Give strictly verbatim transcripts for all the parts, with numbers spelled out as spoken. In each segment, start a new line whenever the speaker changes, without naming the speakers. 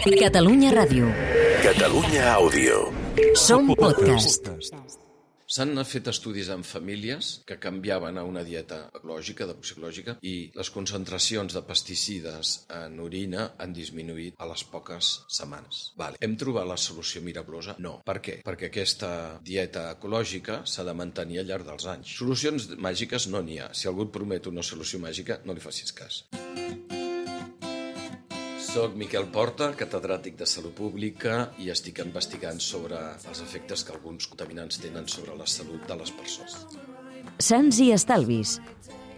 Catalunya Ràdio.
Catalunya Àudio.
Som podcast.
S'han fet estudis en famílies que canviaven a una dieta ecològica, de psicològica, i les concentracions de pesticides en orina han disminuït a les poques setmanes. Vale. Hem trobat la solució miraculosa? No. Per què? Perquè aquesta dieta ecològica s'ha de mantenir al llarg dels anys. Solucions màgiques no n'hi ha. Si algú et promet una solució màgica, no li facis cas. Soc Miquel Porta, catedràtic de Salut Pública, i estic investigant sobre els efectes que alguns contaminants tenen sobre la salut de les persones.
Sants i estalvis.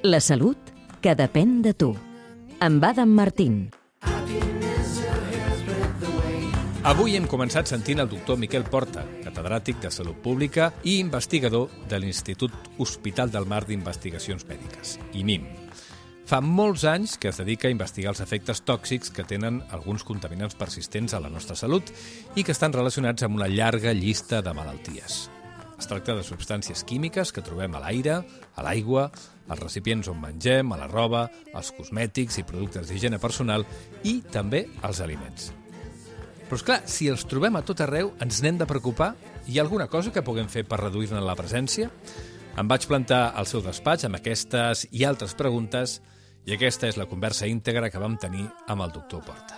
La salut que depèn de tu. Amb Adam Martín.
Avui hem començat sentint el doctor Miquel Porta, catedràtic de Salut Pública i investigador de l'Institut Hospital del Mar d'Investigacions Mèdiques, I M I M. Fa molts anys que es dedica a investigar els efectes tòxics que tenen alguns contaminants persistents a la nostra salut i que estan relacionats amb una llarga llista de malalties. Es tracta de substàncies químiques que trobem a l'aire, a l'aigua, als recipients on mengem, a la roba, als cosmètics i productes d'higiene personal i també als aliments. Però, esclar, si els trobem a tot arreu, ens n'hem de preocupar? Hi ha alguna cosa que puguem fer per reduir-ne la presència? Em vaig plantar al seu despatx amb aquestes i altres preguntes i aquesta és la conversa íntegra que vam tenir amb el doctor Porta.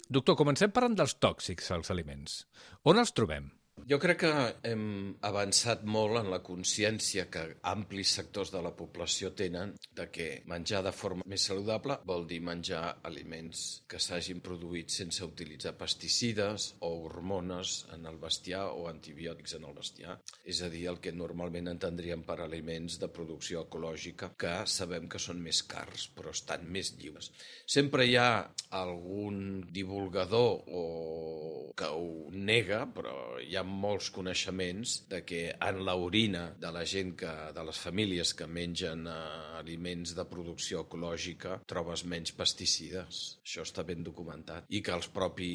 Doctor, comencem parlant dels tòxics als aliments. On els trobem?
Jo crec que hem avançat molt en la consciència que amplis sectors de la població tenen de que menjar de forma més saludable vol dir menjar aliments que s'hagin produït sense utilitzar pesticides o hormones en el bestiar o antibiòtics en el bestiar. És a dir, el que normalment entendríem per aliments de producció ecològica que sabem que són més cars però estan més lliures. Sempre hi ha algun divulgador o que ho nega, però hi ha molts coneixements de que en l'orina de la gent, que, de les famílies que mengen eh, aliments de producció ecològica, trobes menys pesticides. Això està ben documentat. I que els propi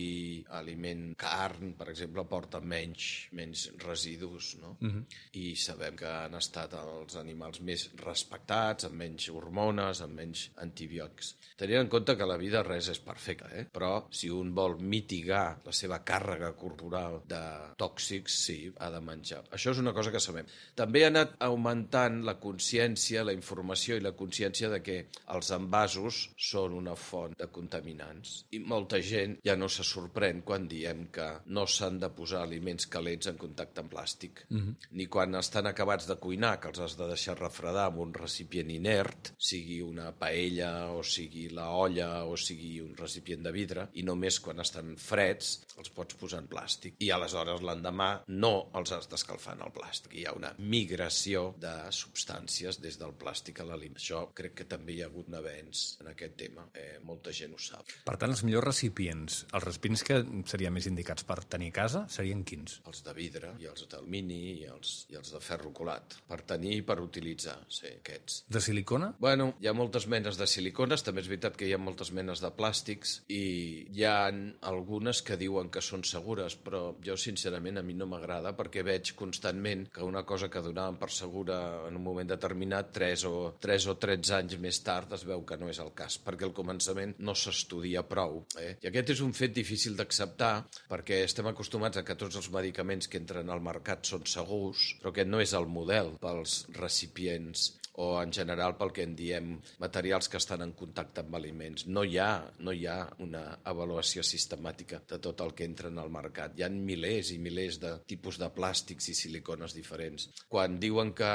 aliment, carn, per exemple, porta menys, menys residus, no? Uh-huh. I sabem que han estat els animals més respectats, amb menys hormones, amb menys antibiòtics. Tenint en compte que la vida res és perfecta, eh? Però si un vol mitigar la seva càrrega corporal de tòxics, sí, ha de menjar. Això és una cosa que sabem. També ha anat augmentant la consciència, la informació i la consciència de que els envasos són una font de contaminants. I molta gent ja no se sorprèn quan diem que no s'han de posar aliments calents en contacte amb plàstic. Uh-huh. Ni quan estan acabats de cuinar, que els has de deixar refredar amb un recipient inert, sigui una paella o sigui la olla o sigui un recipient de vidre, i només quan estan freds els pots posar en plàstic. I aleshores l'endemà no els has d'escalfar en el plàstic. Hi ha una migració de substàncies des del plàstic a l'aliment. Això crec que també hi ha hagut un avenç en aquest tema. Eh, molta gent ho sap.
Per tant, els millors recipients, els recipients que serien més indicats per tenir a casa, serien quins?
Els de vidre, i els d'alumini, i els, i els de ferro colat. Per tenir i per utilitzar, sí, aquests.
De silicona?
Bueno, hi ha moltes menes de silicones, també és veritat que hi ha moltes menes de plàstics, i hi ha algunes que diuen que són segures, però jo, sincerament, a mi no m'agrada perquè veig constantment que una cosa que donaven per segura en un moment determinat, tres o, tres o tretze anys més tard, es veu que no és el cas, perquè al començament no s'estudia prou. Eh? I aquest és un fet difícil d'acceptar perquè estem acostumats a que tots els medicaments que entren al mercat són segurs, però aquest no és el model pels recipients o en general pel que en diem materials que estan en contacte amb aliments. No hi ha, no hi ha una avaluació sistemàtica de tot el que entra en el mercat. Hi ha milers i milers de tipus de plàstics i silicones diferents. Quan diuen que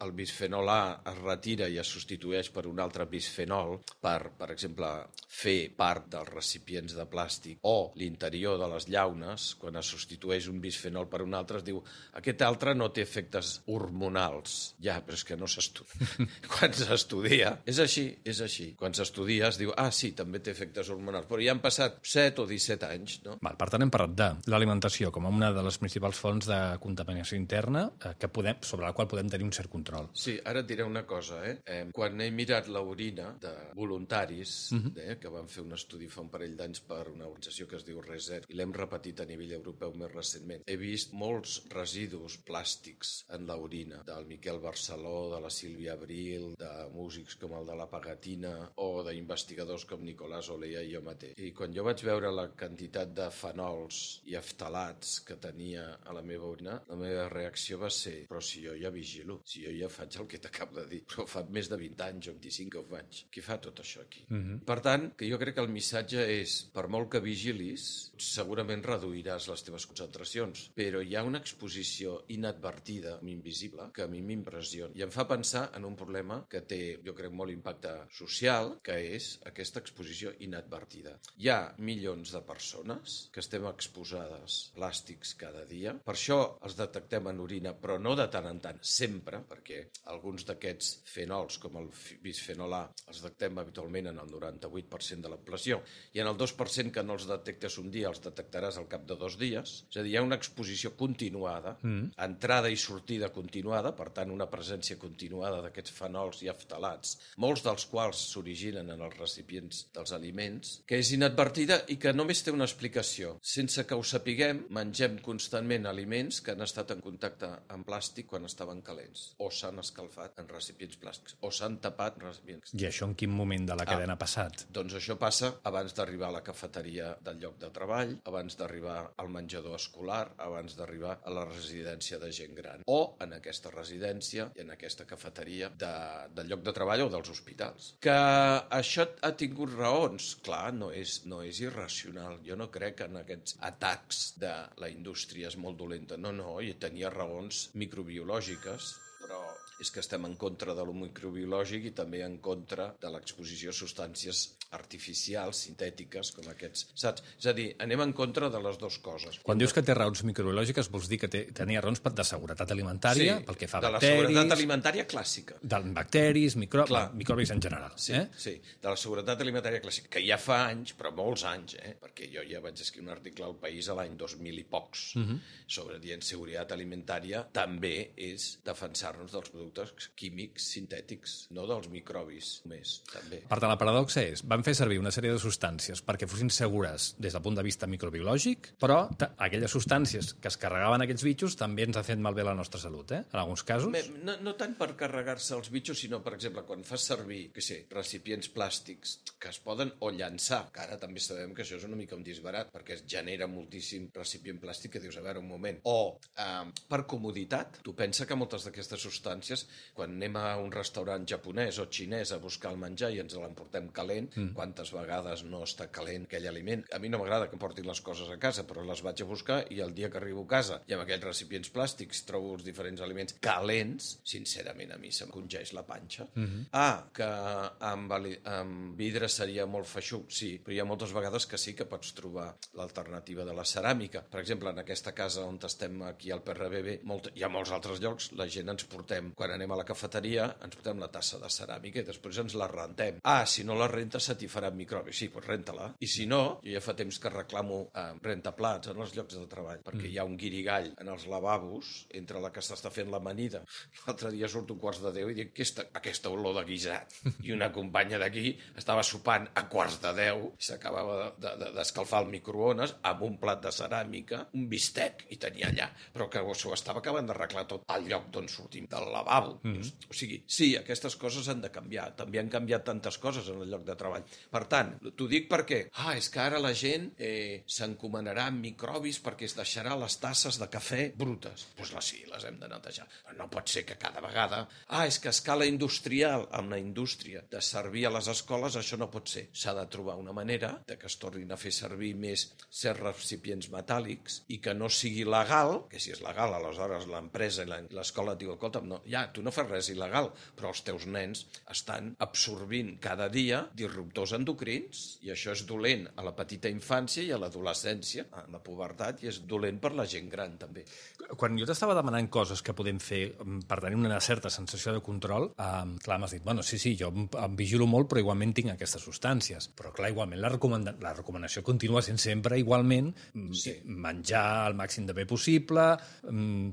el bisfenol A es retira i es substitueix per un altre bisfenol per, per exemple, fer part dels recipients de plàstic o l'interior de les llaunes, quan es substitueix un bisfenol per un altre, es diu aquest altre no té efectes hormonals. Ja, però és que no s'estudia. Quan s'estudia, és així, és així. Quan s'estudia es diu, ah, sí, també té efectes hormonals, però ja han passat set o disset anys, no?
Val, per tant, hem parlat de l'alimentació com una de les principals fonts de contaminació interna eh, que podem, sobre la qual podem tenir un cert control.
Sí, ara et diré una cosa, eh? eh quan he mirat l'orina de voluntaris, uh-huh. eh, que van fer un estudi fa un parell d'anys per una organització que es diu Reset, i l'hem repetit a nivell europeu més recentment, he vist molts residus plàstics en l'orina del Miquel Barceló, de la Sílvia Sílvia Abril, de músics com el de la Pagatina o d'investigadors com Nicolás Olea i jo mateix. I quan jo vaig veure la quantitat de fenols i aftalats que tenia a la meva orina, la meva reacció va ser: però si jo ja vigilo, si jo ja faig el que t'acabo de dir, però fa més de vint anys o vint-i-cinc que ho faig. Qui fa tot això aquí? Mm-hmm. Per tant, que jo crec que el missatge és, per molt que vigilis, segurament reduiràs les teves concentracions, però hi ha una exposició inadvertida, invisible, que a mi m'impressiona. I em fa pensar en un problema que té, jo crec, molt impacte social, que és aquesta exposició inadvertida. Hi ha milions de persones que estem exposades a plàstics cada dia. Per això els detectem en orina, però no de tant en tant, sempre, perquè alguns d'aquests fenols, com el bisfenol A, els detectem habitualment en el noranta-vuit per cent de la població, i en el dos per cent que no els detectes un dia, els detectaràs al cap de dos dies. És a dir, hi ha una exposició continuada, mm. entrada i sortida continuada, per tant, una presència continuada d'aquests fenols i aftalats, molts dels quals s'originen en els recipients dels aliments, que és inadvertida i que només té una explicació. Sense que ho sapiguem, mengem constantment aliments que han estat en contacte amb plàstic quan estaven calents, o s'han escalfat en recipients plàstics, o s'han tapat en recipients.
I això en quin moment de la cadena ah, ha passat?
Doncs això passa abans d'arribar a la cafeteria del lloc de treball, abans d'arribar al menjador escolar, abans d'arribar a la residència de gent gran, o en aquesta residència i en aquesta cafeteria de, del lloc de treball o dels hospitals. Que això ha tingut raons? Clar, no és, no és irracional. Jo no crec en aquests atacs de la indústria és molt dolenta. No, no, i tenia raons microbiològiques, però és que estem en contra de lo microbiològic i també en contra de l'exposició a substàncies artificials, sintètiques, com aquests, saps? És a dir, anem en contra de les dues coses.
Quan dius que té raons microbiològiques, vols dir que té, tenia raons de seguretat alimentària,
sí,
pel que fa a
de
bacteris...
la seguretat alimentària clàssica.
De bacteris, micro... microbis en general.
Sí,
eh?
sí, de la seguretat alimentària clàssica, que ja fa anys, però molts anys, eh? Perquè jo ja vaig escriure un article al País a l'any dos mil i pocs, uh-huh. sobre dient seguretat alimentària, també és defensar-nos dels productes químics sintètics, no dels microbis només, també.
Per tant, la paradoxa és, van fer servir una sèrie de substàncies perquè fossin segures des del punt de vista microbiològic, però aquelles substàncies que es carregaven aquells bitxos també ens han fet malbé la nostra salut, eh? En alguns casos.
No, no tant per carregar-se els bitxos, sinó, per exemple, quan fas servir, què sé, recipients plàstics que es poden o llançar, que ara també sabem que això és una mica un disbarat, perquè es genera moltíssim recipient plàstic que dius, a veure, un moment. O, eh, per comoditat, tu pensa que moltes d'aquestes substàncies, quan anem a un restaurant japonès o xinès a buscar el menjar i ens l'emportem calent, mm. quantes vegades no està calent aquell aliment? A mi no m'agrada que em portin les coses a casa, però les vaig a buscar i el dia que arribo a casa i amb aquells recipients plàstics trobo els diferents aliments calents, sincerament a mi se'm congeix la panxa. Mm-hmm. Ah, que amb, amb vidre seria molt feixuc, sí, però hi ha moltes vegades que sí que pots trobar l'alternativa de la ceràmica. Per exemple, en aquesta casa on estem aquí al P R B B, molt, hi ha molts altres llocs, la gent ens portem, quan anem a la cafeteria, ens portem la tassa de ceràmica i després ens la rentem. Ah, si no la rentes se t'hi faran microbis. Sí, doncs renta-la. I si no, jo ja fa temps que reclamo eh, rentaplats en els llocs de treball, perquè mm. hi ha un guirigall en els lavabos entre la que s'està fent l'amanida. L'altre dia surt un quarts de deu i dic, aquesta, aquesta olor de guisat. I una companya d'aquí estava sopant a quarts de deu i s'acabava d'escalfar de, de, el microones amb un plat de ceràmica, un bistec, i tenia allà. Però que s'ho estava acabant d'arreglar tot al lloc d'on sortim del lavabo. Mm. O sigui, sí, aquestes coses han de canviar. També han canviat tantes coses en el lloc de treball. Per tant, t'ho dic perquè, ah, és que ara la gent eh, s'encomanarà amb microbis perquè es deixarà les tasses de cafè brutes. Doncs pues sí, les hem de netejar. Però no pot ser que cada vegada... Ah, és que a escala industrial, amb la indústria, de servir a les escoles, això no pot ser. S'ha de trobar una manera de que es tornin a fer servir més certs recipients metàl·lics i que no sigui legal, que si és legal, aleshores l'empresa i l'escola diu, escolta, no, ja, tu no fas res il·legal, però els teus nens estan absorbint cada dia disruptors endocrins i això és dolent a la petita infància i a l'adolescència, a la pubertat, i és dolent per la gent gran també.
Quan jo t'estava demanant coses que podem fer per tenir una certa sensació de control, eh, clar, m'has dit, bueno, sí, sí, jo em vigilo molt però igualment tinc aquestes substàncies, però clar, igualment la, recomanda la recomanació continua sent sempre igualment sí. menjar el màxim de bé possible,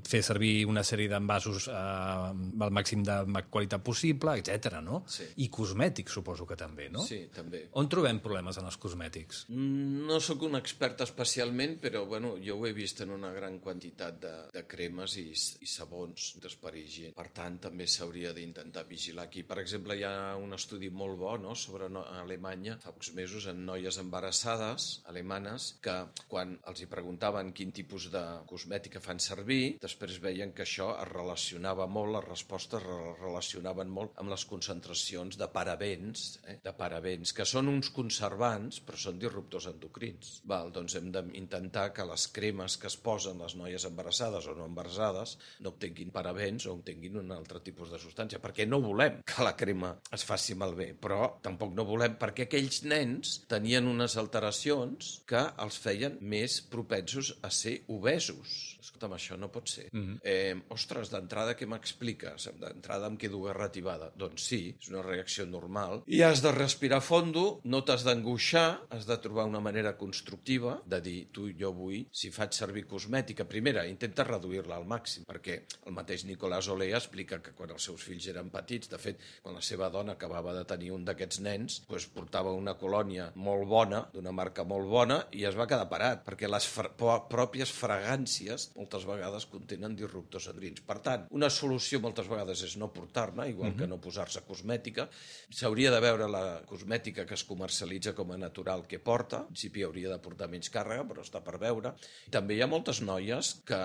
fer servir una sèrie d'envasos eh, al màxim de qualitat possible, etcètera, no?
Sí.
I cosmètics, suposo que també, no?
Sí, també.
On trobem problemes en els cosmètics?
No sóc un expert especialment, però bueno, jo ho he vist en una gran quantitat de, de cremes i, i sabons d'esperigent. Per tant, també s'hauria d'intentar vigilar aquí. Per exemple, hi ha un estudi molt bo, no?, sobre no, Alemanya, fa pocs mesos, en noies embarassades alemanes, que quan els hi preguntaven quin tipus de cosmètica fan servir, després veien que això es relacionava molt, les respostes es relacionaven molt amb les concentracions de parabens, eh? de parabens, que són uns conservants, però són disruptors endocrins. Val, doncs hem d'intentar que les cremes que es posen les noies embarassades o no embarassades no obtenguin parabens o obtenguin un altre tipus de substància, perquè no volem que la crema es faci malbé, però tampoc no volem perquè aquells nens tenien unes alteracions que els feien més propensos a ser obesos. Escolta'm, això no pot ser. Mm-hmm. eh, ostres, d'entrada què m'expliques? D'entrada em quedo garrativada. Doncs sí, és una reacció normal. I has de respirar fondo, no t'has d'angoixar, has de trobar una manera constructiva de dir, tu, jo vull, si faig servir cosmètica, primera, intenta reduir-la al màxim, perquè el mateix Nicolás Olea explica que quan els seus fills eren petits, de fet, quan la seva dona acabava de tenir un d'aquests nens, doncs portava una colònia molt bona, d'una marca molt bona, i es va quedar parat, perquè les fra- pròpies fragàncies moltes vegades contenen disruptors endocrins. Per tant, una solució moltes vegades és no portar-ne, igual mm-hmm. que no posar-se cosmètica. S'hauria de veure la cosmètica que es comercialitza com a natural que porta. En principi hauria de portar menys càrrega, però està per veure. També hi ha moltes noies que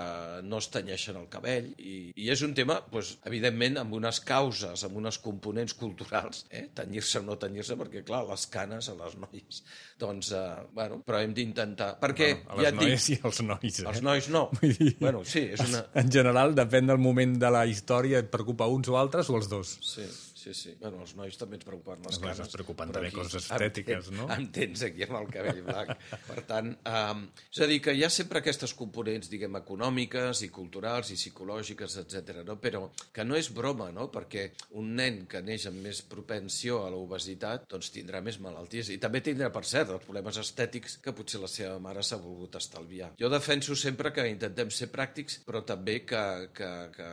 no es tenyeixen el cabell i, i és un tema, doncs, evidentment, amb unes causes, amb unes components culturals, eh? Tenyir-se o no tenyir-se, perquè, clar, les canes a les noies. Doncs, eh, bueno, però hem d'intentar... Perquè,
bueno, a les
ja et
noies
dic,
i als nois, eh?
Els nois no.
Vull dir,
bueno, sí, és una...
En general, depèn del moment de la història, et preocupa uns o altres o els dos?
Sí, sí, sí. Bueno, els nois també ens preocupen les
Els nois
canes.
es preocupen
però
també
aquí
coses estètiques,
em,
no?
Em tens aquí amb el cabell blanc. Per tant, um, és a dir, que hi ha sempre aquestes components, diguem, econòmiques i culturals i psicològiques, etcètera, no? Però que no és broma, no? Perquè un nen que neix amb més propensió a l'obesitat, doncs tindrà més malalties. I també tindrà, per cert, els problemes estètics que potser la seva mare s'ha volgut estalviar. Jo defenso sempre que intentem ser pràctics, però també que, que, que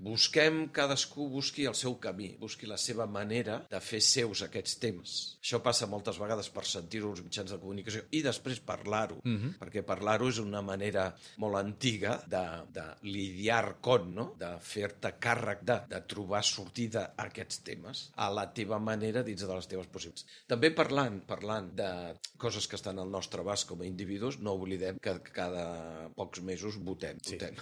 busquem, cadascú busqui el seu camí, busqui la seva manera de fer seus aquests temes. Això passa moltes vegades per sentir-ho als mitjans de comunicació i després parlar-ho, mm-hmm. perquè parlar-ho és una manera molt antiga de, de lidiar con, no? De fer-te càrrec de, de trobar sortida a aquests temes a la teva manera dins de les teves possibilitats. També parlant, parlant de coses que estan al nostre abast com a individus, no oblidem que cada pocs mesos votem.
Sí.
votem.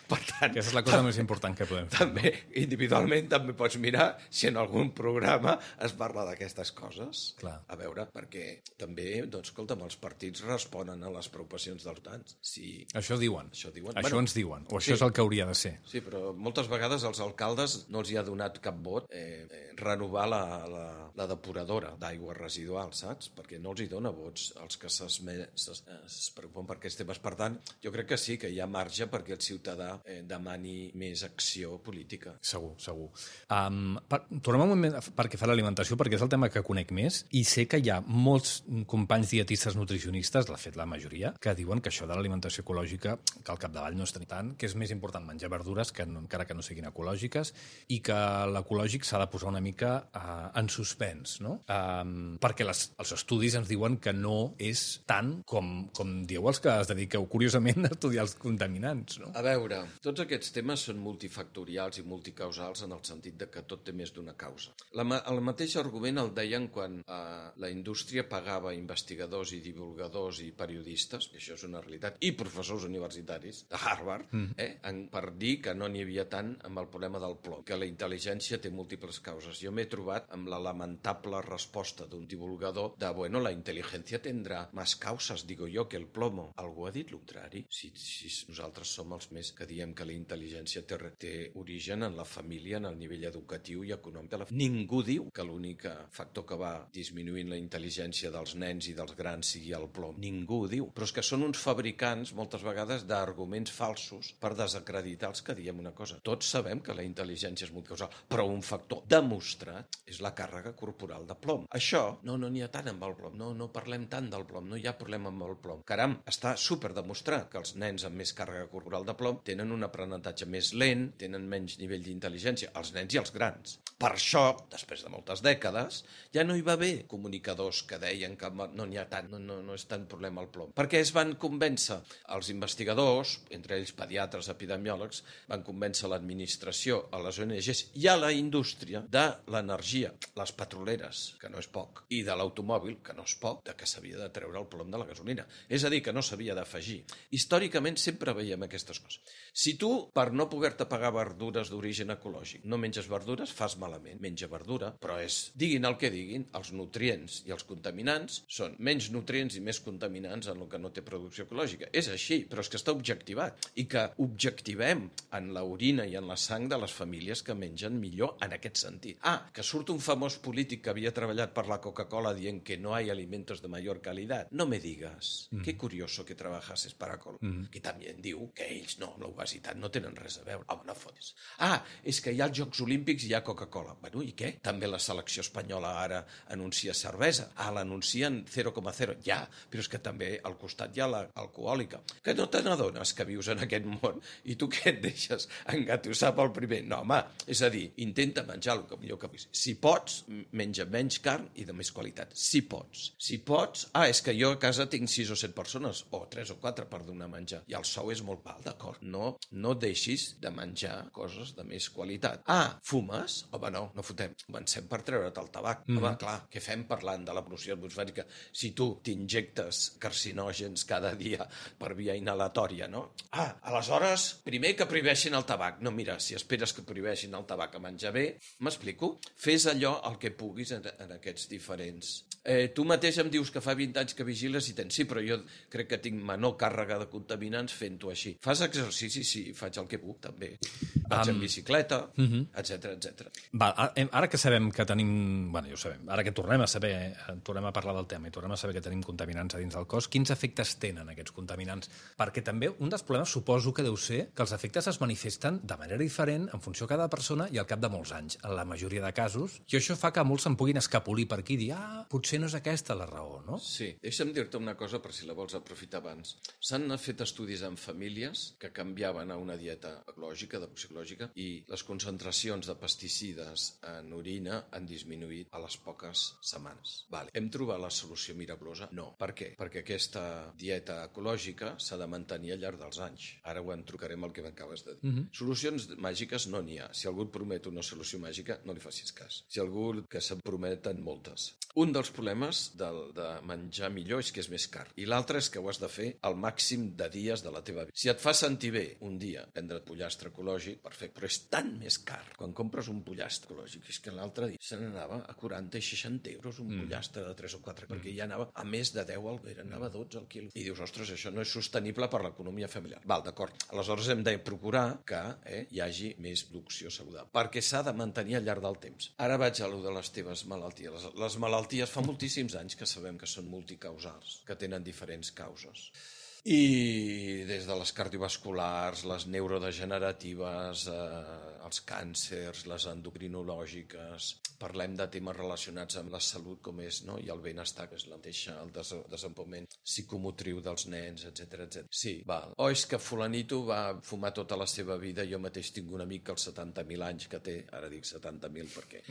Per tant,
Aquesta és la cosa més important que podem fer.
també, individualment, també pots mirar si en algun programa es parla d'aquestes coses.
Clar.
A veure, perquè també, doncs, escolta'm, els partits responen a les preocupacions dels votants. Si...
Això diuen.
Això diuen.
Això
Bueno,
ens diuen. O això
sí.
és el que hauria de ser.
Sí, però moltes vegades als alcaldes no els hi ha donat cap vot eh, eh, renovar la, la, la depuradora d'aigües residuals, saps? Perquè no els hi dona vots als que s'esme- s'es es preocupen per aquests temes. Per tant, jo crec que sí, que hi ha marge perquè el ciutadà eh, demani més acció política.
Segur, segur. Um, per, tornem un moment perquè fa l'alimentació, perquè és el tema que conec més, i sé que hi ha molts companys dietistes nutricionistes, de fet la majoria, que diuen que això de l'alimentació ecològica, que al capdavall no és tant, que és més important menjar verdures, que no, encara que no siguin ecològiques, i que l'ecològic s'ha de posar una mica uh, en suspens, no? Um, perquè les, els estudis ens diuen que no és tant com, com dieu els que es dediqueu, curiosament, a estudiar els contaminants, no?
A veure, tots aquests temes són multifactorials i multicausals en el sentit de que tot té més d'una causa. La, el mateix argument el deien quan eh, la indústria pagava investigadors i divulgadors i periodistes, i això és una realitat, i professors universitaris de Harvard, mm. eh, en, per dir que no n'hi havia tant amb el problema del plom, que la intel·ligència té múltiples causes. Jo m'he trobat amb la lamentable resposta d'un divulgador de, bueno, la intel·ligència tindrà més causes, digo jo, que el plomo. Algú ha dit el contrari? Si, si nosaltres som els més que diem que la intel·ligència té, té origen en la família, en el nivell educatiu i econòmic de la família. Ningú diu que l'únic factor que va disminuint la intel·ligència dels nens i dels grans sigui el plom. Ningú ho diu. Però és que són uns fabricants, moltes vegades, d'arguments falsos per desacreditar els que diem una cosa. Tots sabem que la intel·ligència és multicausal, però un factor demostrat és la càrrega corporal de plom. Això, no, no n'hi ha tant amb el plom, no, no parlem tant del plom, no hi ha problema amb el plom. Caram, està super demostrat que els nens amb més càrrega corporal de plom tenen un aprenentatge més lent, tenen menys nivell d'intel·ligència, els nens i els grans. Per això, després de moltes dècades, ja no hi va haver comunicadors que deien que no n'hi ha tant, no, no, no és tant problema el plom. Perquè es van convèncer els investigadors, entre ells pediatres, epidemiòlegs, van convèncer l'administració, a les O N Ges i a la indústria de l'energia, les petroleres, que no és poc, i de l'automòbil, que no és poc, de que s'havia de treure el plom de la gasolina. És a dir, que no s'havia d'afegir. Històricament sempre veiem aquestes coses. Si tu, per no poder-te pagar verdures d'origen ecològic, no menges verdures, fas malament. Menja verdura, però és, diguin el que diguin, els nutrients i els contaminants són menys nutrients i més contaminants en el que no té producció ecològica. És així, però és que està objectivat. I que objectivem en l'orina i en la sang de les famílies que mengen millor en aquest sentit. Ah, que surt un famós polític que havia treballat per la Coca-Cola dient que no hay alimentos de mayor calidad. No me digas. Mm. Qué curioso que trabajases para Coca-Cola. Mm. Que també diu que ells no, amb l'obesitat no tenen res a veure. Home, no fotis. Ah, és que hi ha els Jocs Olímpics i hi ha Coca-Cola. Bueno, i què? També la selecció espanyola ara anuncia cervesa. Ah, l'anuncien zero coma zero. Ja, però és que també al costat hi ha l'alcohòlica. Que no te n'adones que vius en aquest món i tu què et deixes engatussar pel primer? No, home, és a dir, intenta menjar el que millor que puguis. Si pots, menja menys carn i de més qualitat. Si pots. Si pots... Ah, és que jo a casa tinc sis o set persones, o tres o quatre per donar menjar. I el sou és molt alt, d'acord? No, no deixis de menjar coses de més qualitat. Ah, fumes? Home, no, no fotem. Comencem per treure't el tabac. Mm. Home, clar, què fem parlant de la pol·lució atmosfèrica si tu t'injectes carcinògens cada dia per via inhalatòria, no? Ah, aleshores, primer que prohibeixin el tabac. No, mira, si esperes que prohibeixin el tabac a menjar bé, m'explico? Fes allò el que puguis en, en aquests diferents... Eh, tu mateix em dius que fa vint anys que vigiles i tens... Sí, però jo crec que tinc menor càrrega de contaminants fent-ho així. Fas exercici? Sí, faig el que puc, també. Vaig um, en bicicleta, uh -huh. etcètera, etcètera.
Va, ara que sabem que tenim... Bueno, ja ho sabem. Ara que tornem a saber, tornem a parlar del tema i tornem a saber que tenim contaminants a dins del cos, quins efectes tenen aquests contaminants? Perquè també un dels problemes suposo que deu ser que els efectes es manifesten de manera diferent en funció de cada persona i al cap de molts anys, en la majoria de casos. I això fa que molts se'n puguin escapolir per aquí i dir, ah, potser no és aquesta la raó, no?
Sí. Deixa'm dir-te una cosa per si la vols aprofitar abans. S'han fet estudis en famílies que canviaven a una dieta ecològica, de psicològica, i les concentracions de pesticides en orina han disminuït a les poques setmanes. Vale. Hem trobat la solució milagrosa? No. Per què? Perquè aquesta dieta ecològica s'ha de mantenir al llarg dels anys. Ara ho entrucarem el que m'acabes de dir. Uh-huh. Solucions màgiques no n'hi ha. Si algú et promet una solució màgica, no li facis cas. Si algú que se'n prometen moltes. Un dels problemes del, de menjar millor és que és més car. I l'altre és que ho has de fer al màxim de dies de la teva vida. Si et fa sentir bé un dia prendre pollastre ecològic, perfecte, però és tan més car. Quan compres un pollastre ecològic, és que l'altre dia se n'anava a quaranta i seixanta euros un mm. pollastre de tres o quatre, mm. perquè ja anava a més de deu al vera, anava a dotze al quilo. I dius, ostres, això no és sostenible per l'economia familiar. Val, d'acord. Aleshores hem de procurar que eh, hi hagi més producció saludable, perquè s'ha de mantenir al llarg del temps. Ara vaig a lo de les teves malalties. Les, les malalties fa moltíssims anys que sabem que són multicausals, que tenen diferents causes. I des de les cardiovasculars, les neurodegeneratives, eh, els càncers, les endocrinològiques, parlem de temes relacionats amb la salut com és, no? I el benestar, que és la mateixa, el des desenvolupament psicomotriu dels nens, etcètera, etcètera. Sí, val. O és que fulanito va fumar tota la seva vida, jo mateix tinc un amic que als setanta mil anys que té, ara dic setanta mil perquè...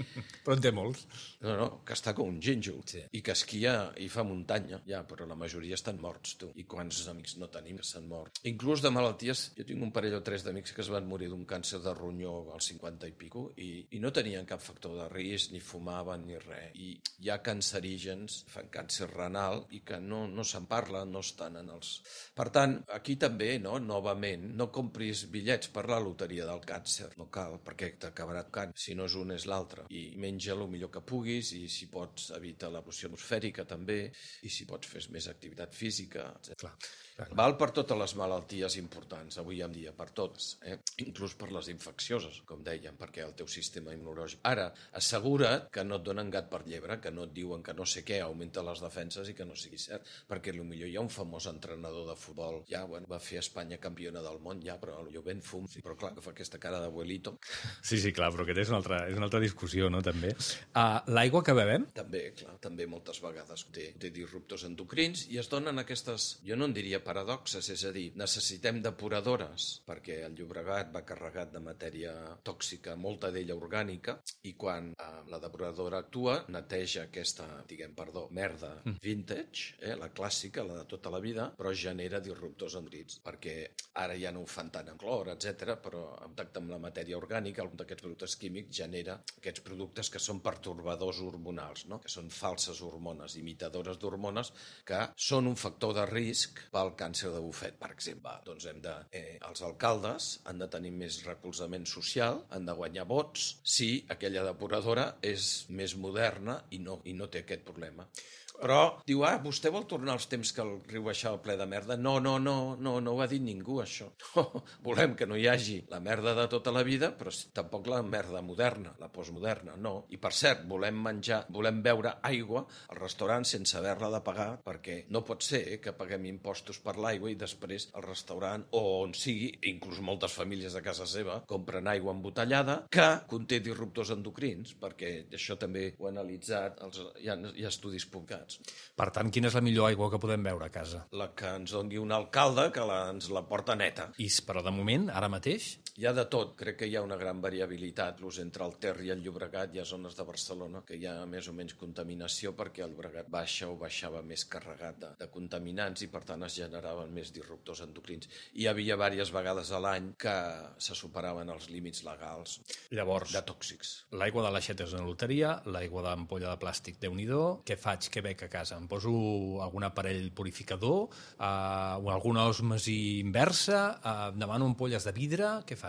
Però en té molts.
No, no, que està com un gínjol, sí. I que esquia i fa muntanya, ja, però la majoria estan morts, tu. I quants amics no tenim que s'han mort. Inclús de malalties, jo tinc un parell o tres d'amics que es van morir d'un càncer de ronyó als cinquanta i pico i, i no tenien cap factor de risc, ni fumaven ni res. I hi ha cancerígens, fan càncer renal i que no, no se'n parla, no estan en els... Per tant, aquí també, no, novament, no compris bitllets per la loteria del càncer. No cal, perquè t'acabarà tocant. Si no és un, és l'altre. I menja el millor que puguis i si pots evita la pressió atmosfèrica també i si pots fes més activitat física, etcètera. Clar. Clar. Val per totes les malalties importants, avui en dia, per totes, eh? Inclús per les infeccioses, com dèiem, perquè el teu sistema immunològic. Ara, assegura't que no et donen gat per llebre, que no et diuen que no sé què augmenta les defenses i que no sigui cert, perquè potser hi ha un famós entrenador de futbol, ja, bueno, va fer Espanya campiona del món, ja, però jo ben fum, sí, però clar, que fa aquesta cara d'abuelito.
Sí, sí, clar, però aquesta és una altra, és una altra discussió, no?, també. Uh, L'aigua que bevem?
També, clar, també moltes vegades té, té disruptors endocrins i es donen aquestes, jo no en diria paradoxes, és a dir, necessitem depuradores perquè el Llobregat va carregat de matèria tòxica, molta d'ella orgànica, i quan eh, la depuradora actua, neteja aquesta, diguem, perdó, merda vintage, eh, la clàssica, la de tota la vida, però genera disruptors endocrins, perquè ara ja no ho fan tant amb clor, etcètera, però en contacte amb la matèria orgànica, algun d'aquests productes químics genera aquests productes que són pertorbadors hormonals, no? Que són falses hormones, imitadores d'hormones, que són un factor de risc pel càncer de bufet, per exemple. Doncs hem de, eh, els alcaldes han de tenir més recolzament social, han de guanyar vots si aquella depuradora és més moderna i no, i no té aquest problema. Però diu, ah, vostè vol tornar als temps que el riu baixava ple de merda? No, no, no, no, no ho ha dit ningú, això. No, volem que no hi hagi la merda de tota la vida, però tampoc la merda moderna, la postmoderna, no. I per cert, volem menjar, volem beure aigua al restaurant sense haver-la de pagar, perquè no pot ser eh, que paguem impostos per l'aigua i després al restaurant, o on sigui, inclús moltes famílies a casa seva, compren aigua embotellada que conté disruptors endocrins, perquè això també ho ha analitzat, els, hi, ha, hi ha estudis publicats.
Per tant, quina és la millor aigua que podem beure a casa?
La que ens doni un alcalde que la, ens la porta neta.
I, però de moment, ara mateix?
Hi ha de tot. Crec que hi ha una gran variabilitat. L'ús entre el Ter i el Llobregat, hi ha zones de Barcelona que hi ha més o menys contaminació perquè el Llobregat baixa o baixava més carregat de, de contaminants i per tant es generaven més disruptors endocrins. Hi havia diverses vegades a l'any que se superaven els límits legals.
Llavors,
de tòxics.
L'aigua de l'aixeta és una loteria, l'aigua d'ampolla de plàstic, Déu-n'hi-do. Què faig? Què bec a casa? Em poso algun aparell purificador, eh, o alguna òsmesi inversa, eh, demano ampolles de vidre, què faig?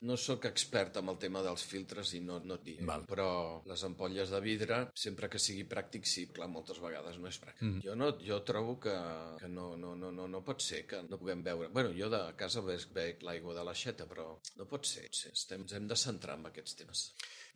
No sóc expert en el tema dels filtres i no, no et diré,
Val.
Però les ampolles de vidre, sempre que sigui pràctic, sí, clar, moltes vegades no és pràctic.
Mm.
Jo, no, jo trobo que, que no, no, no, no, no pot ser que no puguem beure. Bueno, jo de casa bec, bec l'aigua de l'aixeta, però no pot ser. Estem, ens hem de centrar en aquests temes.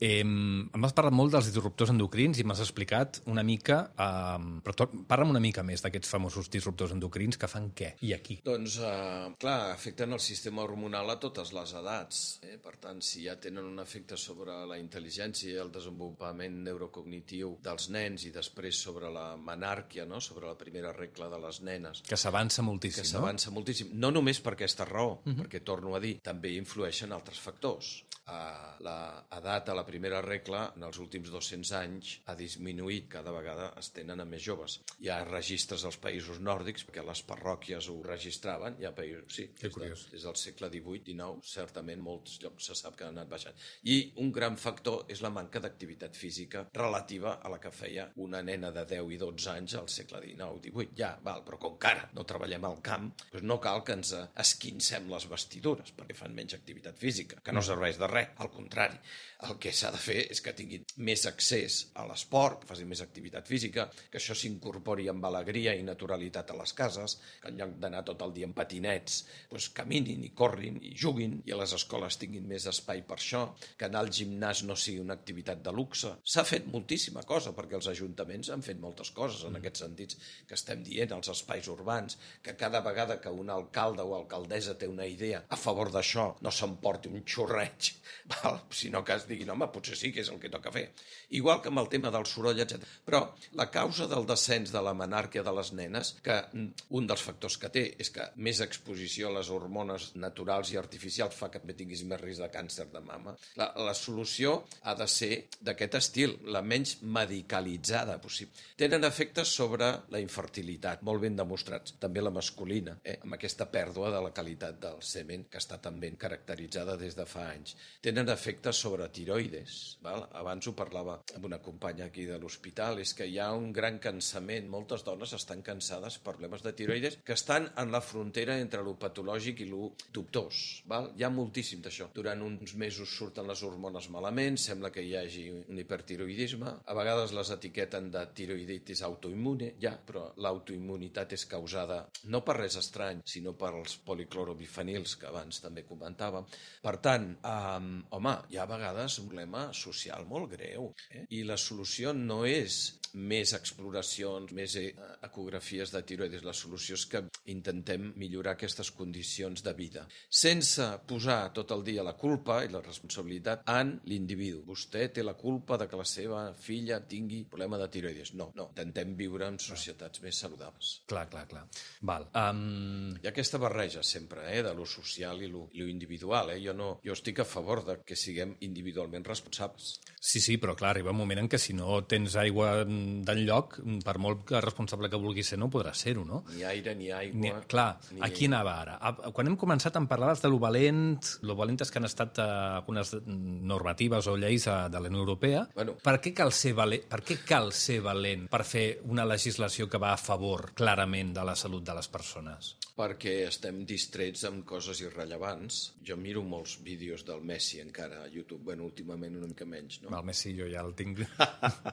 Eh, m'has parlat molt dels disruptors endocrins i m'has explicat una mica, eh, però to, parla'm una mica més d'aquests famosos disruptors endocrins que fan què i aquí.
Doncs, eh, clar, afecten el sistema hormonal a totes les edats. Eh? Per tant, si ja tenen un efecte sobre la intel·ligència i el desenvolupament neurocognitiu dels nens i després sobre la menàrquia, no? Sobre la primera regla de les nenes.
Que s'avança moltíssim,
que
no?
s'avança moltíssim. No només per aquesta raó, uh-huh. perquè, torno a dir, també influeixen altres factors. Uh, l'edat a la primera regla en els últims dos-cents anys ha disminuït, cada vegada es tenen a més joves. Hi ha registres als països nòrdics, perquè les parròquies ho registraven, hi ha països, sí, des, de, des del segle divuit dinou, certament molts llocs se sap que han anat baixant. I un gran factor és la manca d'activitat física relativa a la que feia una nena de deu i dotze anys al segle dinou divuit. Ja, val, però com que ara no treballem al camp, doncs no cal que ens esquincem les vestidures, perquè fan menys activitat física, que no serveix de res, al contrari. El que s'ha de fer és que tinguin més accés a l'esport, que facin més activitat física, que això s'incorpori amb alegria i naturalitat a les cases, que en lloc d'anar tot el dia en patinets, doncs caminin i corrin i juguin, i a les escoles tinguin més espai per això, que anar al gimnàs no sigui una activitat de luxe. S'ha fet moltíssima cosa, perquè els ajuntaments han fet moltes coses en aquests sentits que estem dient, als espais urbans, que cada vegada que un alcalde o alcaldessa té una idea a favor d'això, no s'emporti un xorreig, val? Sinó que es diguin, home, potser sí que és el que toca fer. Igual que amb el tema del soroll, etcètera. Però la causa del descens de la menàrquia de les nenes, que un dels factors que té és que més exposició a les hormones naturals i artificials fa que també tinguis més risc de càncer de mama. La, la solució ha de ser d'aquest estil, la menys medicalitzada possible. Tenen efectes sobre la infertilitat, molt ben demostrats, també la masculina, eh? amb aquesta pèrdua de la qualitat del semen, que està tan ben caracteritzada des de fa anys. Tenen efectes sobre tiroides. Val? Abans ho parlava amb una companya aquí de l'hospital, és que hi ha un gran cansament. Moltes dones estan cansades per problemes de tiroides que estan en la frontera entre lo patològic i lo dubtós. Val? Hi ha moltíssim d'això. Durant uns mesos surten les hormones malament, sembla que hi hagi un hipertiroidisme. A vegades les etiqueten de tiroiditis autoimmune, ja, però l'autoimmunitat és causada no per res estrany, sinó per els policlorobifenils que abans també comentàvem. Per tant, Um, home, hi ha a vegades un problema social molt greu, eh? I la solució no és més exploracions, més eh, ecografies de tiroides. La solució és que intentem millorar aquestes condicions de vida, sense posar tot el dia la culpa i la responsabilitat en l'individu. Vostè té la culpa de que la seva filla tingui problema de tiroides. No, no. Intentem viure en societats més saludables.
Clar, clar, clar. Val. Um...
Hi ha aquesta barreja sempre, eh, de lo social i lo, i lo individual. Eh? Jo, no, jo estic a favor de que siguem individualment responsables.
Sí, sí, però clar, arriba un moment en què si no tens aigua d'enlloc, per molt que responsable que vulguis ser, no podràs ser-ho, no?
Ni aire, ni aigua...
Ni, clar, ni... aquí anava ara. Quan hem començat em parlaves de lo valent, lo valentes que han estat eh, algunes normatives o lleis de, de la Unió Europea.
Bueno.
Per què cal ser valent? Per què cal ser valent per fer una legislació que va a favor, clarament, de la salut de les persones?
Perquè estem distrets amb coses irrellevants. Jo miro molts vídeos del Messi encara a YouTube, bueno, últimament una mica menys, no?
El Messi jo ja el tinc...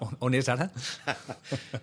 on, on és ara?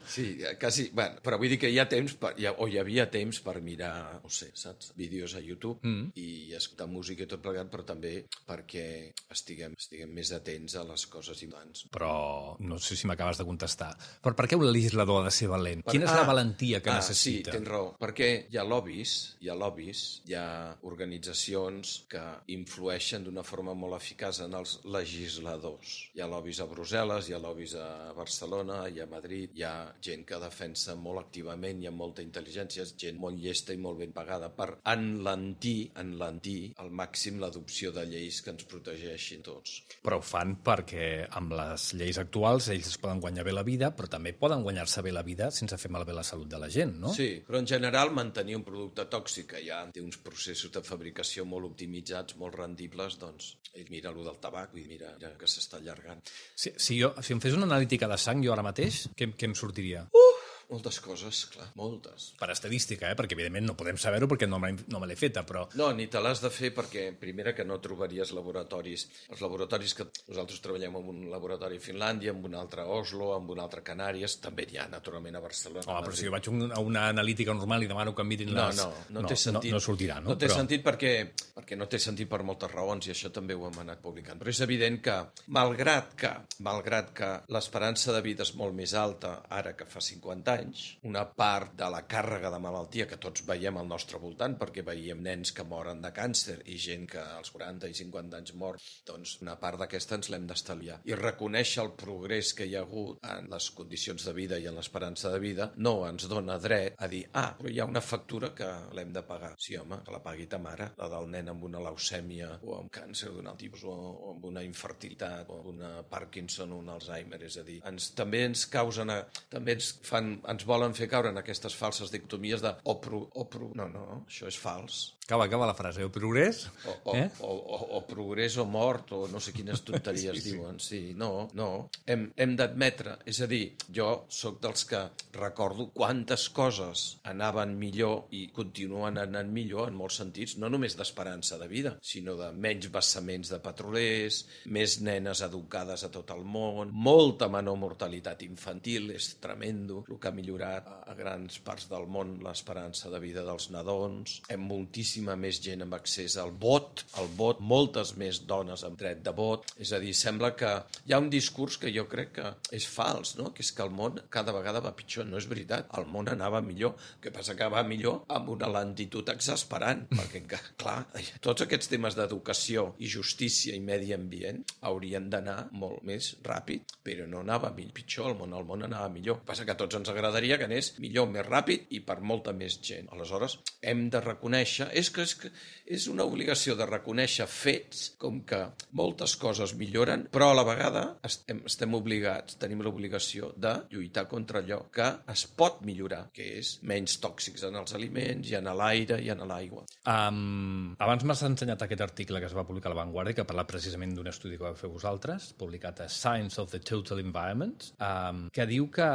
Sí, quasi... Bueno, però vull dir que hi ha temps, per, ja, o hi havia temps per mirar, no sé, saps? Vídeos a YouTube mm. i escoltar música i tot plegat, però també perquè estiguem, estiguem més atents a les coses importants.
Però no sé si m'acabes de contestar. Però per què un legislador ha de ser valent? Per... Quina és ah, la valentia que
ah,
necessita?
Sí, tens raó. Perquè hi ha lobbies, hi ha lobbies, hi ha organitzacions que influeixen d'una forma molt eficaç en els legisladors. Hi ha lobbies a Brussel·les, hi ha lobbies a Barcelona, hi ha a Madrid, hi ha gent que defensa molt activament, hi ha molta intel·ligència, gent molt llesta i molt ben pagada per enlentir, enlentir al màxim l'adopció de lleis que ens protegeixin tots.
Però ho fan perquè amb les lleis actuals ells es poden guanyar bé la vida, però també poden guanyar-se bé la vida sense fer malbé la salut de la gent, no?
Sí, però en general mantenir un producte tòxic que ja té uns processos de fabricació molt optimitzats, molt rendibles, doncs mira allò del tabac, mira, mira que s'està allargant.
Si, si, jo, si em fes una analítica de sang jo ara mateix, què, què em sortiria?
Uh! Moltes coses, clar, moltes.
Per estadística, eh? Perquè evidentment no podem saber-ho perquè no me, no me l'he feta, però...
No, ni te l'has de fer perquè, primera, que no trobaries laboratoris. Els laboratoris que nosaltres treballem en un laboratori a Finlàndia, en un altre a Oslo, en un altre a Canàries, també n'hi ha, naturalment, a Barcelona.
Oh, però si jo vaig a una analítica normal i demano que em mirin les...
No, no, no, no té sentit.
No, no sortirà, no?
No té
però...
sentit perquè, perquè no té sentit per moltes raons i això també ho hem anat publicant. Però és evident que, malgrat que, malgrat que l'esperança de vida és molt més alta ara que fa cinquanta anys, una part de la càrrega de malaltia que tots veiem al nostre voltant, perquè veiem nens que moren de càncer i gent que als quaranta i cinquanta anys mor, doncs una part d'aquesta ens l'hem d'estalviar. I reconèixer el progrés que hi ha hagut en les condicions de vida i en l'esperança de vida no ens dona dret a dir, ah, però hi ha una factura que l'hem de pagar. Sí, home, que la pagui ta mare, la del nen amb una leucèmia o amb càncer d'un alt tipus o, o amb una infertilitat o amb una Parkinson o un Alzheimer. És a dir, ens, també ens causen, a, també ens, fan, ens volen fer caure en aquestes falses dicotomies de o, pro, o pro... No, no, això és fals.
Acaba, acaba la frase. O progrés?
O, o, eh? o, o, o progrés o mort, o no sé quines tonteries sí, diuen. Sí, no, no. Hem, hem d'admetre. És a dir, jo sóc dels que recordo quantes coses anaven millor i continuen anant millor en molts sentits, no només d'esperança de vida, sinó de menys vessaments de petrolers, més nenes educades a tot el món, molta menor mortalitat infantil, és tremendo el que ha millorat a grans parts del món l'esperança de vida dels nadons, hem moltíssima més gent amb accés al vot, al vot, moltes més dones amb dret de vot, és a dir, sembla que hi ha un discurs que jo crec que és fals, no? Que és que el món cada vegada va pitjor, no és veritat, el món anava millor, el que passa que va millor amb una lentitud exasperant, perquè, clar, tots aquests temes d'educació i justícia i medi ambient haurien d'anar molt més ràpid, però no anava pitjor, el món, el món anava millor. El que passa que a tots ens agradaria que anés millor, més ràpid i per molta més gent. Aleshores, hem de reconèixer, és que és, que és una obligació de reconèixer fets com que moltes coses milloren, però a la vegada estem, estem obligats, tenim l'obligació de lluitar contra allò que es pot millorar, que és menys tòxics en els aliments i en l'aire i en l'aigua.
Um, abans m'has ensenyat aquest article que es va publicar a La Vanguardia, que parla precisament d'un estudi que vau fer vosaltres, publicat a Science of the Total Environment, um, que diu que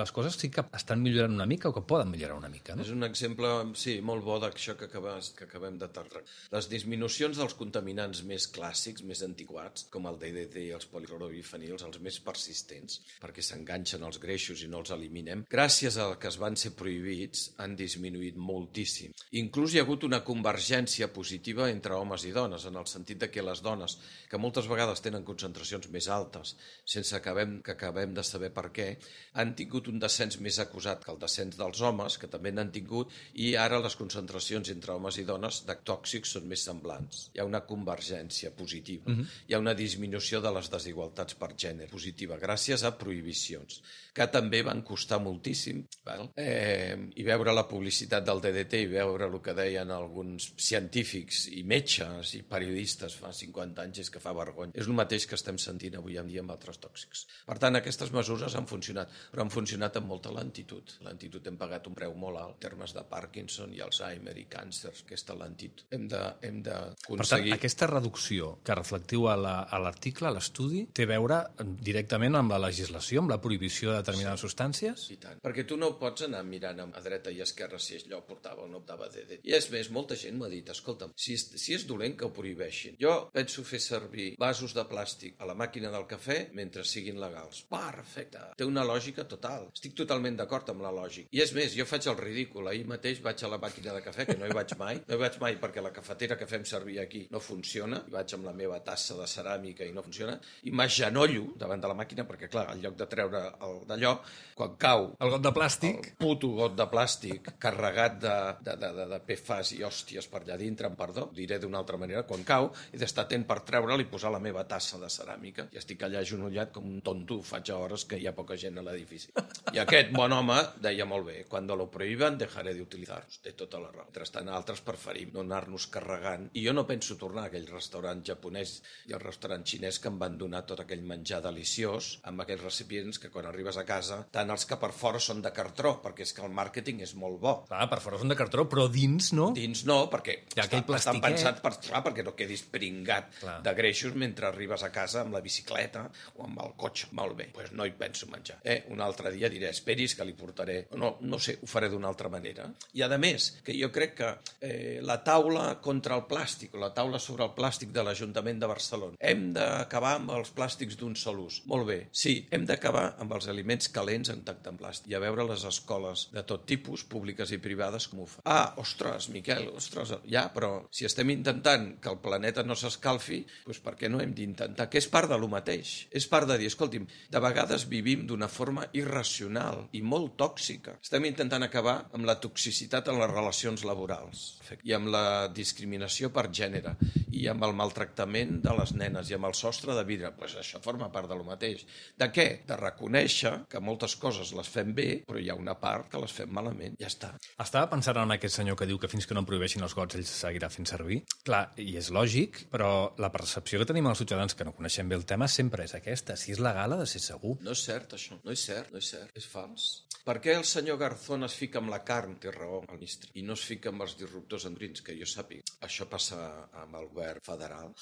les coses sí que estan millorant una mica o que poden millorar una mica, no?
És un exemple, sí, molt bo d'això que acabes vegades que acabem de tractar. Les disminucions dels contaminants més clàssics, més antiquats, com el D D T i els policlorobifenils, els més persistents, perquè s'enganxen els greixos i no els eliminem, gràcies a que es van ser prohibits, han disminuït moltíssim. Inclús hi ha hagut una convergència positiva entre homes i dones, en el sentit de que les dones, que moltes vegades tenen concentracions més altes, sense acabem, que acabem de saber per què, han tingut un descens més acusat que el descens dels homes, que també n'han tingut, i ara les concentracions entre homes i dones de tòxics són més semblants. Hi ha una convergència positiva. Uh-huh. Hi ha una disminució de les desigualtats per gènere positiva, gràcies a prohibicions, que també van costar moltíssim. Val? Eh, I veure la publicitat del D D T i veure el que deien alguns científics i metges i periodistes fa cinquanta anys és que fa vergonya. És el mateix que estem sentint avui en dia amb altres tòxics. Per tant, aquestes mesures han funcionat, però han funcionat amb molta lentitud. Lentitud hem pagat un preu molt alt en termes de Parkinson i Alzheimer i càncers, aquesta lentitud. Hem de, hem de aconseguir...
Per tant, aquesta reducció que reflectiu a l'article, a l'estudi, té a veure directament amb la legislació, amb la prohibició de determinades sí. substàncies?
I tant. Perquè tu no pots anar mirant a dreta i a esquerra si allò portava o no portava D D T. I és més, molta gent m'ha dit, escolta'm, si és, si és dolent que ho prohibeixin. Jo penso fer servir vasos de plàstic a la màquina del cafè mentre siguin legals. Perfecte. Té una lògica total. Estic totalment d'acord amb la lògica. I és més, jo faig el ridícul. Ahir mateix vaig a la màquina de cafè, que no hi vaig mai. No hi vaig mai perquè la cafetera que fem servir aquí no funciona. I vaig amb la meva tassa de ceràmica i no funciona. I m'agenollo davant de la màquina perquè, clar, en lloc de treure el d'allò, quan cau...
El got de plàstic.
El puto got de plàstic carregat de, de, de, de, de P F A S i hòsties per allà dintre, em perdó, diré d'una altra manera, quan cau, he d'estar atent per treure'l i posar la meva tassa de ceràmica. I estic allà agenollat com un tonto, faig a hores que hi ha poca gent a l'edifici. I aquest bon home deia molt bé, quan lo prohíben dejaré d'utilitzar-los. Té tota la raó. Mentrestant, altres preferim no anar-nos carregant. I jo no penso tornar a aquell restaurant japonès i al restaurant xinès que em van donar tot aquell menjar deliciós amb aquells recipients que quan arribes a casa, tant els que per fora són de cartró, perquè és que el màrqueting és molt bo.
Clar, per fora són de cartró, però dins no?
Dins no, perquè
està,
estan pensats per, clar, perquè no quedis pringat
clar.
de greixos mentre arribes a casa amb la bicicleta o amb el cotxe. Molt bé, doncs pues no hi penso menjar. Eh, un altre dia diré, esperis que li portaré... No, no sé, ho faré d'una altra manera. I a més, que jo crec que eh, la taula contra el plàstic, o la taula sobre el plàstic de l'Ajuntament de Barcelona, hem d'acabar amb els plàstics d'un sol ús. Molt bé, sí, hem d'acabar amb els aliments calents en tacte en plàstic. I a veure les escoles de tot tipus, públiques i privades, com ho fan. Ah, ostres, Miquel, ostres, ja, però si estem intentant que el planeta no s'escalfi, doncs per què no hem d'intentar? Que és part de lo mateix. És part de dir, escolti'm, de vegades vivim d'una forma irracional i molt tòxica. Estem intentant acabar amb la toxicitat en les relacions laborals i amb la discriminació per gènere i amb el maltractament de les nenes i amb el sostre de vidre. Pues això forma part de lo mateix. De què? De reconèixer que moltes coses les fem bé, però hi ha una part que les fem malament. Ja està.
Estava pensant en aquest senyor que diu que fins que no en prohibeixin els gots ell seguirà fent servir. Clar, i és lògic, però la percepció que tenim els ciutadans que no coneixem bé el tema sempre és aquesta. Si és legal ha de ser segur.
No és cert, això. No és cert, no és cert. És fals. Per què el senyor Garzón es fica amb la carn? Té raó, el ministre. I no es fica amb els disruptors endocrins, que jo sàpiga. Això passa amb el govern federal.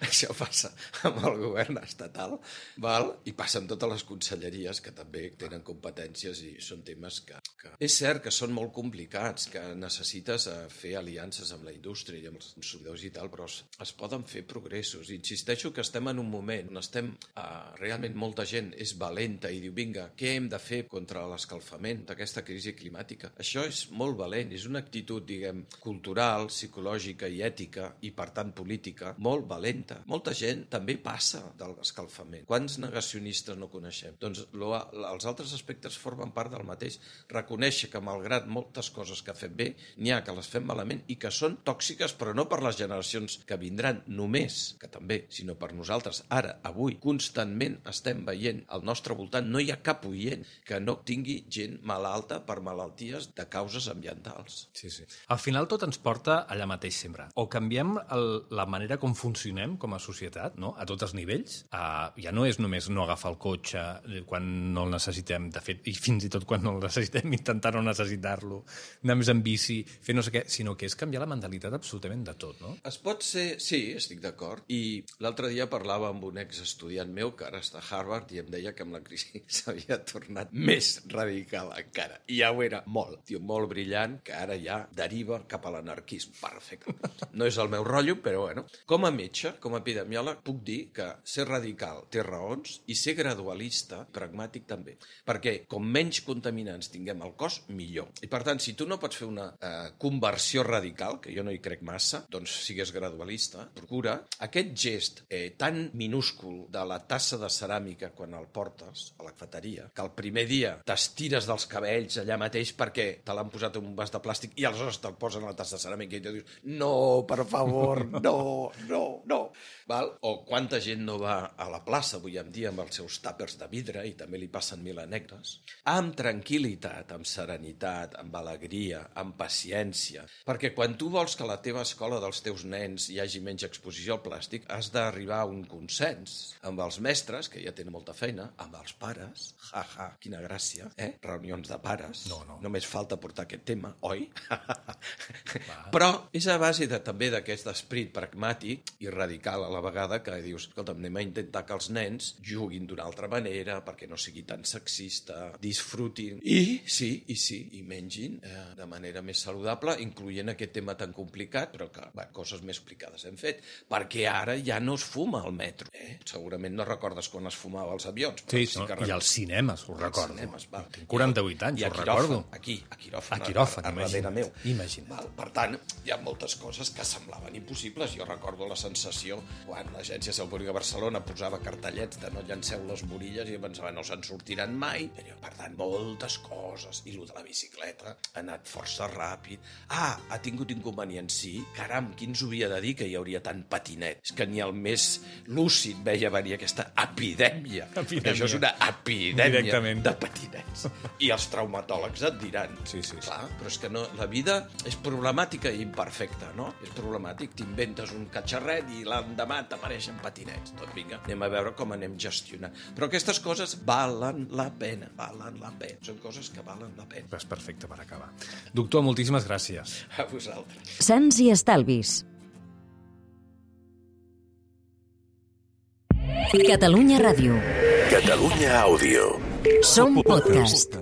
Això passa amb el govern estatal, val? I passa amb totes les conselleries, que també tenen competències i són temes que... que... És cert que són molt complicats, que necessites fer aliances amb la indústria i amb els consumidors i tal, però es, es poden fer progressos. Insisteixo que estem en un moment on estem... Eh, realment molta gent és valenta i diu, vinga, què hem de fer contra l'escalfament d'aquesta crisi climàtica? Això és molt valent, és una actitud, diguem, cultural, psicològica i ètica, i per tant política, molt valenta. Molta gent també passa de l'escalfament. Quants negacionistes no coneixem? Doncs lo, els altres aspectes formen part del mateix. Reconèixer que malgrat moltes coses que fem bé, n'hi ha que les fem malament i que són tòxiques, però no per les generacions que vindran només, que també, sinó per nosaltres. Ara, avui, constantment estem veient al nostre voltant, no hi ha cap oient que no tingui gent malalta per malalties de causes ambientals.
Sí, sí. Al final tot ens porta allà mateix sempre. O canviem el, la manera com funcionem com a societat, no? A tots els nivells. Uh, ja no és només no agafar el cotxe quan no el necessitem, de fet, i fins i tot quan no el necessitem, intentar no necessitar-lo, anar més en bici, fer no sé què, sinó que és canviar la mentalitat absolutament de tot, no?
Es pot ser... Sí, estic d'acord. I l'altre dia parlava amb un exestudiant meu que ara està a Harvard i em deia que amb la crisi s'havia tornat més radical encara. I ja ho era molt, tio, molt brillant, que ara ja deriva cap a l'anarquisme. Perfecte. No és el meu rotllo, però bueno. Com a metge, com a epidemiòleg, puc dir que ser radical té raons i ser gradualista, pragmàtic també. Perquè com menys contaminants tinguem al cos, millor. I per tant, si tu no pots fer una eh, conversió radical, que jo no hi crec massa, doncs sigues gradualista, procura aquest gest eh, tan minúscul de la tassa de ceràmica quan el portes a la cafeteria, que el primer dia t'estires dels cabells allà mateix perquè te l'han posat en un vas de plàstic i aleshores te'l posen a la tassa de ceràmica i tu dius no, per favor, no, no, no. Val? O quanta gent no va a la plaça avui en dia amb els seus tàpers de vidre i també li passen mil anècdotes, amb tranquil·litat, amb serenitat, amb alegria, amb paciència, perquè quan tu vols que a la teva escola dels teus nens hi hagi menys exposició al plàstic, has d'arribar a un consens amb els mestres, que ja tenen molta feina, amb els pares, ja, ja, quina gràcia, eh? Reunions de pares,
no, no.
Només falta portar aquest tema, oi? Però és a base de, també d'aquest esperit pragmàtic i radical a la vegada que dius, escolta'm, anem a intentar que els nens juguin d'una altra manera perquè no sigui tan sexista, disfrutin i, sí, i sí, i mengin eh, de manera més saludable, incloent aquest tema tan complicat, però que, bé, coses més explicades hem fet, perquè ara ja no es fuma al metro, eh? Segurament no recordes quan es fumava als avions.
Sí, sí no, i als cinemes, ho recordo.
Cinemes, val.
Tinc quaranta-vuit anys, ho recordo.
Aquí, a quiròfan,
a, quiròfan,
a, a darrere meu.
Imagina't.
Val, per tant, hi ha moltes coses que semblaven impossibles. Jo recordo la sensació quan l'Agència de Salut Pública de Barcelona posava cartellets de no llanceu les borilles i jo pensava no se'n sortiran mai. Però, per tant, moltes coses. I el de la bicicleta ha anat força ràpid. Ah, ha tingut inconvenients, sí. Caram, qui ens ho havia de dir que hi hauria tant patinet? És que ni el més lúcid veia venir aquesta epidèmia.
Epidèmia.
Això és una epidèmia
Directament.
de patinets. I els traumatòlegs et diran.
Sí, sí, sí.
Clar, però és que no, la vida és problemàtica i imperfecta, no? És problemàtic. T'inventes un catxarret i l'endemà t'apareixen patinets. Tot, vinga, anem a veure com anem gestionant. Però aquestes coses valen la pena, valen la pena. Són coses que valen la pena.
És perfecte per acabar. Doctor, moltíssimes gràcies.
A vosaltres.
Sants i estalvis. Catalunya Ràdio.
Catalunya Àudio.
Som podcast.